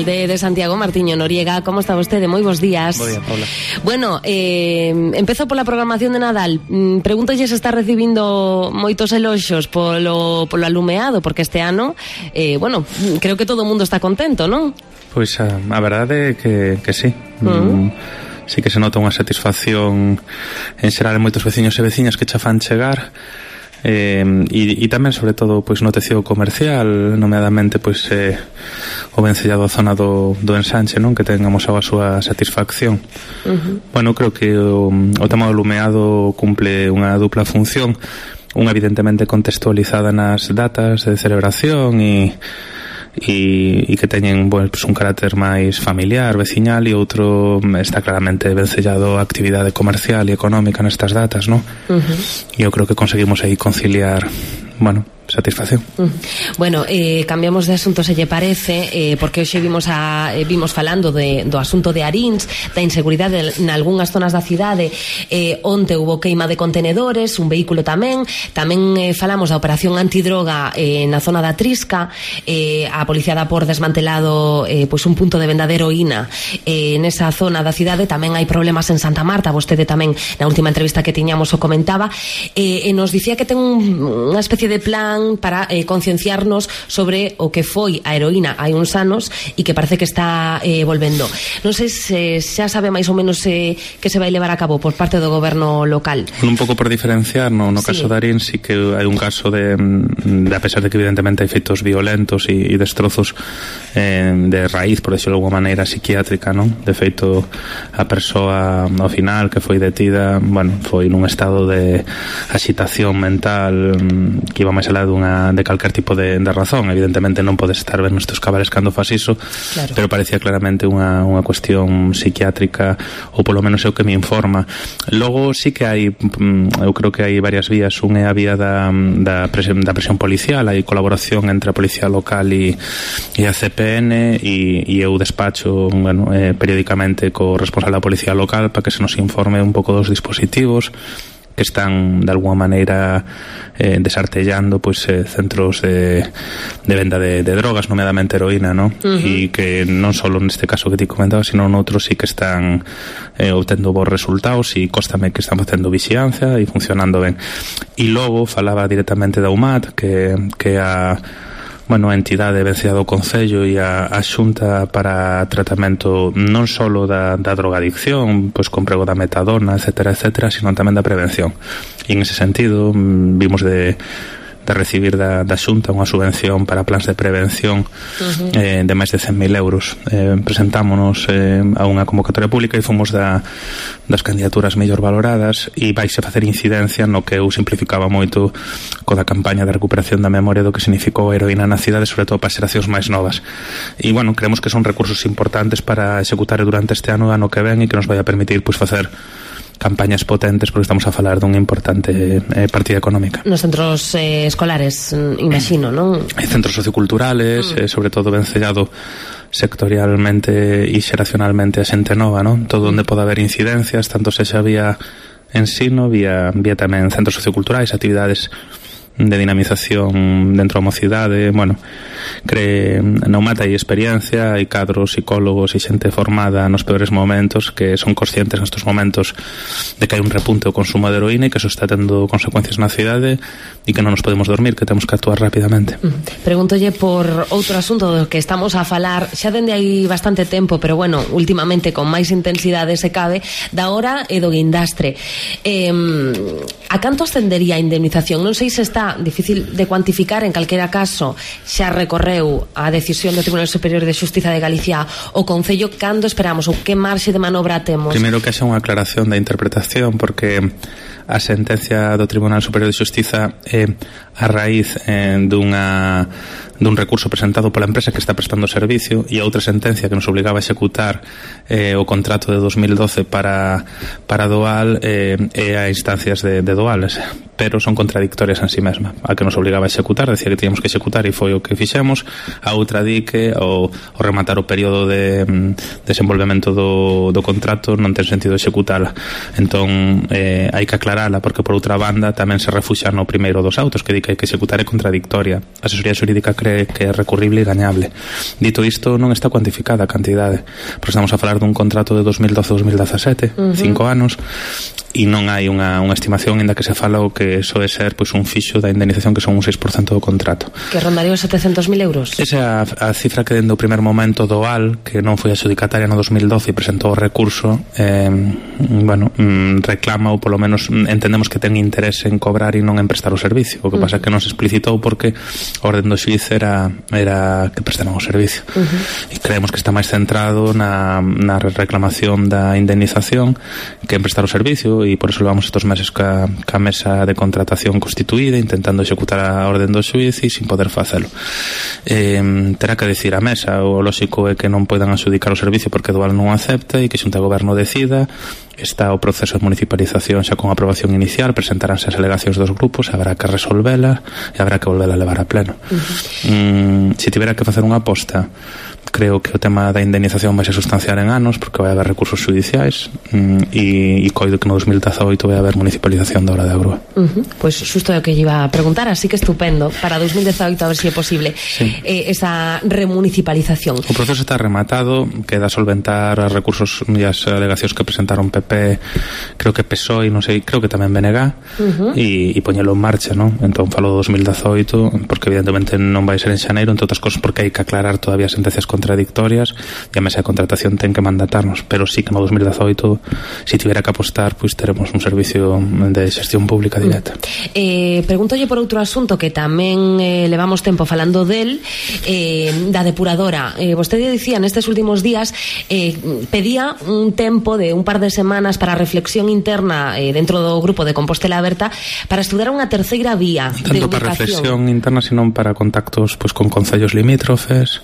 alcalde de Santiago, Martiño Noriega. Como está vostede? Moi bons días. Bo día, Paula. Bueno, empezo pola programación de Nadal. Pregúntolle se está recibindo moitos eloxos polo alumeado, porque este ano, bueno, creo que todo o mundo está contento, non? Pois a verdade é que sí. Sí que se nota unha satisfacción en xeral en moitos veciños e veciñas que xa fan chegar. E tamén sobre todo pois no tecido comercial, nomeadamente pois o vencellado a zona do ensanche, non, que tengamos a súa satisfacción. Bueno, creo que o tema do lumeado cumple unha dupla función, unha evidentemente contextualizada nas datas de celebración e que teñen pues, un carácter máis familiar, veciñal, e outro está claramente vencellado a actividade comercial e económica nestas datas, non? E eu creo que conseguimos aí conciliar, bueno, satisfacción. Bueno, cambiamos de asunto, se lle parece, porque hoxe vimos falando do asunto de Aríns, da inseguridade nalgúnas zonas da cidade. Onte hubo queima de contenedores, un vehículo tamén falamos da operación antidroga na zona da Trisca. A policía dá por desmantelado pois un punto de venda de heroína nesa zona da cidade. Tamén hai problemas en Santa Marta, vostede tamén na última entrevista que tiñamos o comentaba, e nos dicía que ten unha especie de plan para concienciarnos sobre o que foi a heroína hai uns anos e que parece que está volvendo. Non sei se xa sabe máis ou menos que se vai levar a cabo por parte do goberno local. Un pouco por diferenciar, no caso de Arín sí que hai un caso de a pesar de que evidentemente hai feitos violentos e destrozos de raíz, por decirlo de alguma maneira, psiquiátrica, non? De feito, a persoa ao final que foi detida, bueno, foi nun estado de axitación mental que iba máis alá de calquer tipo de razón. Evidentemente non podes estar ver nestes cabales cando fas iso, claro. Pero parecía claramente unha cuestión psiquiátrica, ou polo menos é o que me informa. Logo sí que hai, eu creo que hai varias vías. Un é a vía da presión policial, hai colaboración entre a policía local e a CPN, e eu despacho, bueno, periódicamente co responsable da policía local para que se nos informe un pouco dos dispositivos que están de alguma maneira desartellando pois centros de venda de drogas, nomeadamente heroína, ¿no? E que non só neste caso que ti comentabas, sino noutros sí que están obtendo bons resultados, e cóstame que están facendo vixiancia e funcionando ben. E logo falaba directamente da UMAT, que a a entidade vencida do Concello e a Xunta para tratamento non só da drogadicción, pois con prego da metadona, etcétera, sino tamén da prevención. E en ese sentido vimos de recibir da Xunta unha subvención para plans de prevención de máis de 100.000 euros. Presentámonos a unha convocatoria pública e fomos das candidaturas mellor valoradas, e vaise facer incidencia no que eu simplificaba moito co da campaña de recuperación da memoria do que significou a heroína na cidade, sobre todo para as xeracións máis novas. E, bueno, creemos que son recursos importantes para executar durante este ano que ven, e que nos vai a permitir pois facer campañas potentes, porque estamos a falar dunha importante partida económica. Nos centros escolares, imagino, non? Hai centros socioculturales, sobre todo vencellado sectorialmente e xeracionalmente a xente nova, non? Todo onde pode haber incidencias, tanto sexa vía ensino, vía tamén centros socioculturais, actividades de dinamización dentro da mocidade. Bueno, na UMAT hai experiencia, hai cadros, psicólogos e xente formada nos peores momentos que son conscientes nestes momentos de que hai un repunte do consumo de heroína e que eso está tendo consecuencias na cidade e que non nos podemos dormir, que temos que actuar rapidamente. Pregúntolle por outro asunto do que estamos a falar xa dende hai bastante tempo, pero bueno, últimamente con máis intensidade se cabe, da hora e do guindastre. A canto ascendería a indemnización? Non sei se está difícil de cuantificar, en calquera caso xa recorreu a decisión do Tribunal Superior de Xustiza de Galicia o Concello. Cando esperamos ou que marxe de manobra temos? Primeiro que haxa unha aclaración da interpretación, porque a sentencia do Tribunal Superior de Xustiza é a raíz dun recurso presentado pola empresa que está prestando o servicio, e a outra sentencia que nos obligaba a executar o contrato de 2012 para Doal e a instancias de Doal, pero son contradictorias en sí mesma. A que nos obligaba a executar decía que teníamos que executar e foi o que fixemos, a outra di que ao rematar o período de desenvolvemento do contrato non ten sentido executala. Entón hai que aclarala, porque por outra banda tamén se refuxa no primeiro dos autos, que di que hai que executar é contradictoria. A asesoría xurídica cree que é recurrible e gañable. Dito isto, non está cuantificada a cantidade, porque estamos a falar dun contrato de 2012-2017, 5 anos, e non hai unha estimación ainda que se fala o que soe ser pois un fixo da indemnización que son un 6% do contrato. Que rondaría os 700.000 euros? Esa é a cifra que dende o primer momento do AL, que non foi adxudicataria no 2012 e presentou o recurso, reclama, ou polo menos entendemos que ten interés en cobrar e non en prestar o servicio. O que pasa é que non se explicitou porque a orden do xuiz era que prestaran o servicio. E creemos que está máis centrado na reclamación da indemnización que en prestar o servicio, e por eso levamos estos meses ca mesa de contratación constituída intentando executar a orden do xuiz e sin poder facelo. Terá que decir a mesa, o lóxico é que non poidan adxudicar o servicio porque Dual non acepta e que Xunta de Goberno decida. Está o proceso de municipalización xa con aprobación inicial, presentaránse as alegacións dos grupos, habrá que resolvela e habrá que volvela a levar a pleno. Se tivera que facer unha aposta, creo que o tema da indemnización vai se sustanciar en anos porque vai haber recursos judiciais e coido que no 2018 vai haber municipalización da Hora de Agrua. Pois xusto é o que lle iba a preguntar, así que estupendo para 2018 a ver se é posible esa remunicipalización. O proceso está rematado, queda solventar os recursos e as alegacións que presentaron PP, creo que PSOE, non sei, creo que tamén BNG, e poñelo en marcha, non? Entón falo do 2018 porque evidentemente non vai ser en xaneiro, entre outras cosas porque hai que aclarar todavía sentencias contradictorias e a mesa de contratación ten que mandatarnos, pero sí que no 2018 se tivera que apostar, pois teremos un servicio de xestión pública directa. Pregúntolle por outro asunto que tamén levamos tempo falando del, da depuradora. Vostede dicía nestes últimos días pedía un tempo de un par de semanas para reflexión interna dentro do grupo de Compostela Aberta para estudar unha terceira vía de ubicación. Tanto para reflexión interna, senón para contactos pois con concellos limítrofes,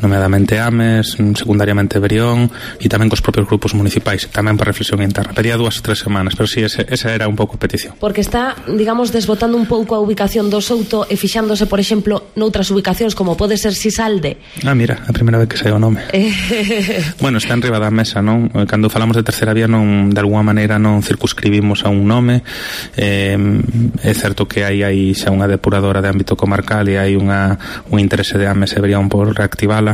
nomeadamente Ames, secundariamente Brión, e tamén cos propios grupos municipais, tamén para reflexión interna. Pedía 2 ou 3 semanas, pero sí, esa era un pouco a petición. Porque está, digamos, desbotando un pouco a ubicación do Souto e fixándose, por exemplo, noutras ubicacións como pode ser Sisalde. Mira, a primeira vez que sai o nome. Bueno, está en riba da mesa, non? Cando falamos de terceira vía, non, de alguma maneira non circunscribimos a un nome. É certo que hai xa unha depuradora de ámbito comarcal e hai un interese de Ames e Brión por reactivala,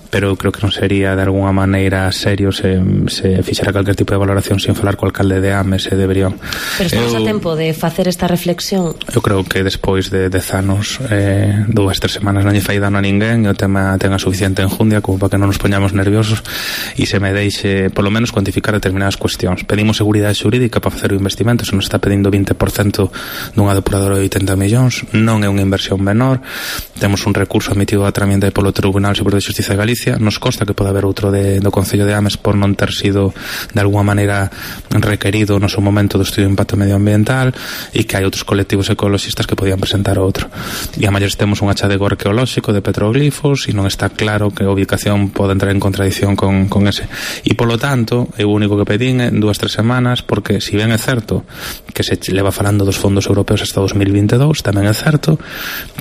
pero creo que non sería de alguna maneira serio se fixera calquer tipo de valoración sin falar co alcalde de Ames e de Brión. Pero estamos a tempo de facer esta reflexión? Eu creo que despois de 10 anos 2 ou 3 semanas non lle fai dano a ninguén e o tema ten a suficiente enjundia como para que non nos poñamos nerviosos e se me deixe polo menos cuantificar determinadas cuestións. Pedimos seguridade xurídica para facer o investimento, se nos está pedindo 20% dunha depuradora de 80 millóns, non é unha inversión menor. Temos un recurso admitido a tramite polo Tribunal Superior de Xustiza de Galicia, nos consta que pode haber outro do Concello de Ames por non ter sido de alguma maneira requerido no seu momento do estudio de impacto medioambiental e que hai outros colectivos ecologistas que podían presentar outro. E a maiores temos un achadego arqueolóxico de petroglifos e non está claro que a ubicación pode entrar en contradición con ese. E polo tanto, eu o único que pedín en 2 ou 3 semanas, porque si ben é certo que se leva falando dos fondos europeos hasta 2022, tamén é certo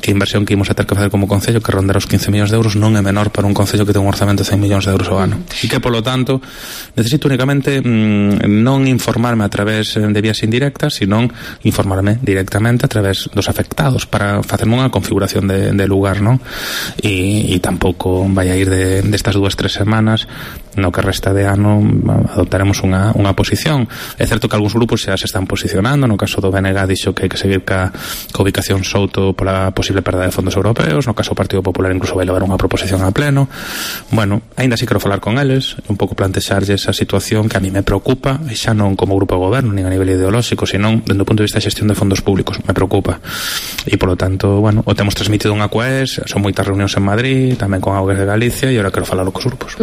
que a inversión que imos a ter que facer como Concello, que rondar os 15 millóns de euros, non é menor para un Concello que ten un orzamento de 100 millóns de euros ao ano. E que, polo tanto, necesito únicamente non informarme a través de vías indirectas, sino informarme directamente a través dos afectados para facerme unha configuración de lugar, non? E tampouco vai a ir destas 2 ou 3 semanas, no que resta de ano adoptaremos unha posición. É certo que algúns grupos xa se están posicionando, no caso do BNG dixo que hai que seguir ca ubicación Souto pola posible perda de fondos europeos, no caso do Partido Popular incluso vai levar unha proposición a pleno. Bueno, aínda así quero falar con eles, un pouco plantexarlle esa situación que a mí me preocupa, e xa non como grupo de goberno, nin a nivel ideolóxico, senón dende o punto de vista de xestión de fondos públicos, me preocupa. E polo tanto, bueno, o temos transmitido unha COES, son moitas reunións en Madrid, tamén con Augas de Galicia, e agora quero falalo cos grupos.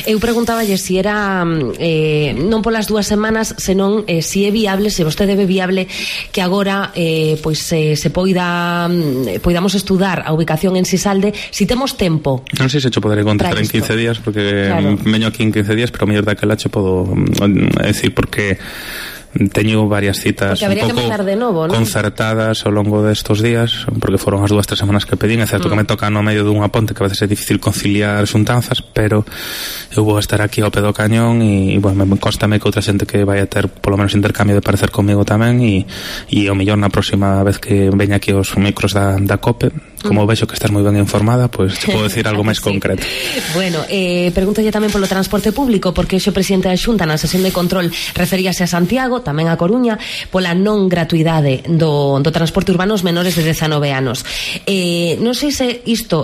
Eu preguntáballe se era non polas 2 semanas, senón se é viable, se vostede ve viable que agora pois se poidamos estudar a ubicación en Sisalde, si temos tempo. Non sei se cho poderé contestar en 15 días, porque veño aquí en 15 días, pero mellor daquela cho podo decir, porque teño varias citas un pouco concertadas ao longo destos días, porque foron as 2 ou 3 semanas que pedín. É certo que me toca no medio dunha ponte que a veces é difícil conciliar xuntanzas, pero eu vou estar aquí ao pé do cañón e bueno, me constame que outra xente que vai a ter polo menos intercambio de parecer comigo tamén, e ao mellor na próxima vez que veña aquí os micros da COPE Como vexo que estás moi ben informada, pois te podo decir algo máis concreto. Bueno, pregúntalle tamén polo transporte público, porque hoxe o presidente da Xunta na sesión de control referíase a Santiago, tamén a Coruña, pola non gratuidade do transporte urbano aos menores de 19 anos. Non sei se isto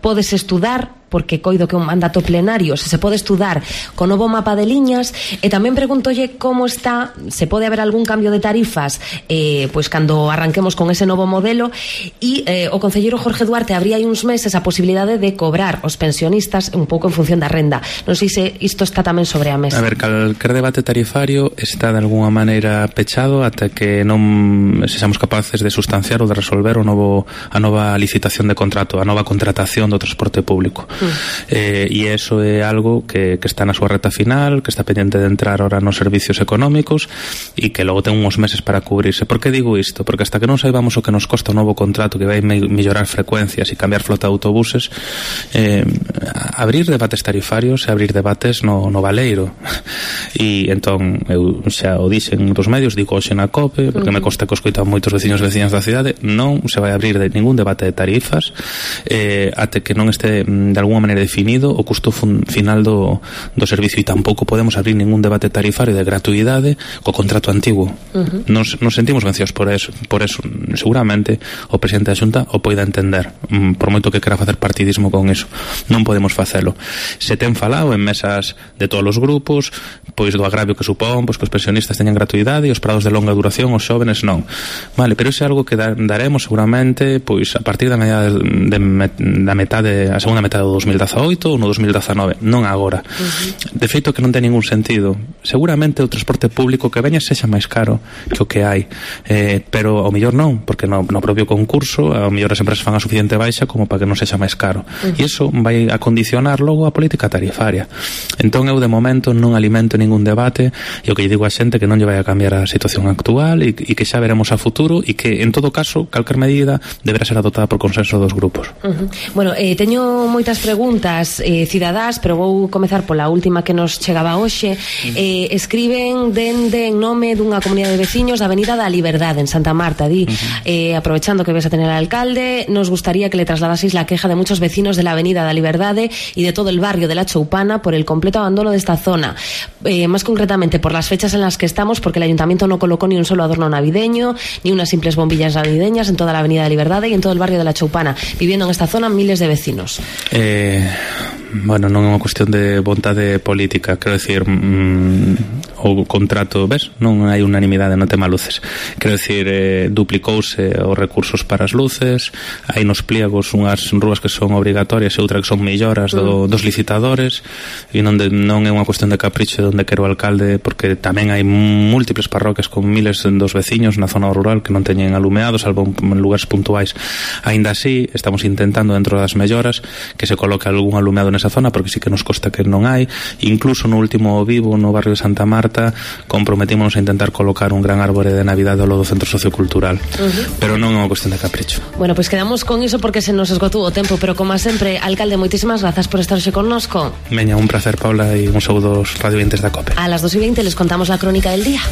podes estudar, porque coido que é un mandato plenario, se pode estudar co novo mapa de liñas, e tamén pregúntolle como está, se pode haber algún cambio de tarifas pois cando arranquemos con ese novo modelo, e o concelleiro Jorge Duarte abría hai uns meses a posibilidade de cobrar os pensionistas un pouco en función da renda. Non sei se isto está tamén sobre a mesa. A ver, calquer debate tarifario está de alguna maneira pechado ata que non sexamos capaces de sustanciar ou de resolver a nova licitación de contrato, a nova contratación do transporte público. E iso é algo que está na súa reta final, que está pendiente de entrar ahora nos servicios económicos e que logo ten uns meses para cubrirse. Por que digo isto? Porque hasta que non saibamos o que nos costa o novo contrato, que vai mellorar frecuencias e cambiar flota de autobuses, abrir debates tarifarios e abrir debates no baleiro. E entón eu xa o dixen dos medios, digo hoxe na COPE, porque me consta que os coitan moitos veciños e veciñas da cidade, non se vai abrir ningún debate de tarifas até que non este de alguna maneira definido o custo final do servicio, e tampouco podemos abrir ningún debate tarifario de gratuidade co contrato antigo. Nos sentimos vencidos por eso. Seguramente o presidente da Xunta o poida entender, por moito que quera facer partidismo con eso. Non podemos facelo. Se ten falado en mesas de todos os grupos, pois do agravio que supón, pois que os pensionistas teñan gratuidade e os parados de longa duración, os xóvenes non. Vale, pero iso é algo que daremos seguramente pois a partir da a segunda metade do 2018 ou no 2019, non agora. De feito que non ten ningún sentido. Seguramente o transporte público que veña sexa máis caro que o que hai, pero ao mellor non, porque no propio concurso ao mellor as empresas fan a suficiente baixa como para que non sexa máis caro, e iso vai a condicionar logo a política tarifaria. Entón eu de momento non alimento ningún debate, e o que lle digo a xente que non lle vai a cambiar a situación actual e que xa veremos a futuro, e que en todo caso calquer medida deberá ser adoptada por consenso dos grupos. Bueno, teño moitas preguntas cidadás, pero vou comezar pola última que nos chegaba hoxe. Escriben dende en nome dunha comunidade de veciños da Avenida da Liberdade en Santa Marta. Aprovechando que ves a tener al alcalde, nos gustaría que le trasladaseis la queja de muchos vecinos de la Avenida da Liberdade y de todo el barrio de la Choupana por el completo abandono de esta zona, más concretamente por las fechas en las que estamos, porque el ayuntamiento no colocó ni un solo adorno navideño ni unas simples bombillas navideñas en toda la Avenida da Liberdade y en todo el barrio de la Choupana, viviendo en esta zona miles de vecinos. Bueno, non é unha cuestión de vontade política, quero decir, o contrato, ves, non hai unanimidade no tema luces, quero decir, duplicouse os recursos para as luces, hai nos pliegos unhas rúas que son obrigatorias e outras que son melloras dos licitadores, e non é unha cuestión de capricho de onde quero o alcalde, porque tamén hai múltiples parroquias con miles dos veciños na zona rural que non teñen alumeados, salvo en lugares puntuais. Aínda así, estamos intentando dentro das melloras que se coloque algún alumeado nesa zona, porque sí que nos consta que non hai. Incluso no último vivo no barrio de Santa Marta comprometímonos a intentar colocar un gran árbore de Navidade ao lado do centro sociocultural, pero non é unha cuestión de capricho. Bueno, pois quedamos con iso porque se nos esgotou o tempo, pero como sempre, alcalde, moitísimas grazas por estar hoxe connosco. Veña, un placer, Paula, e un saúdo aos radiovintes da COPE. A las 2:20 les contamos la crónica del día.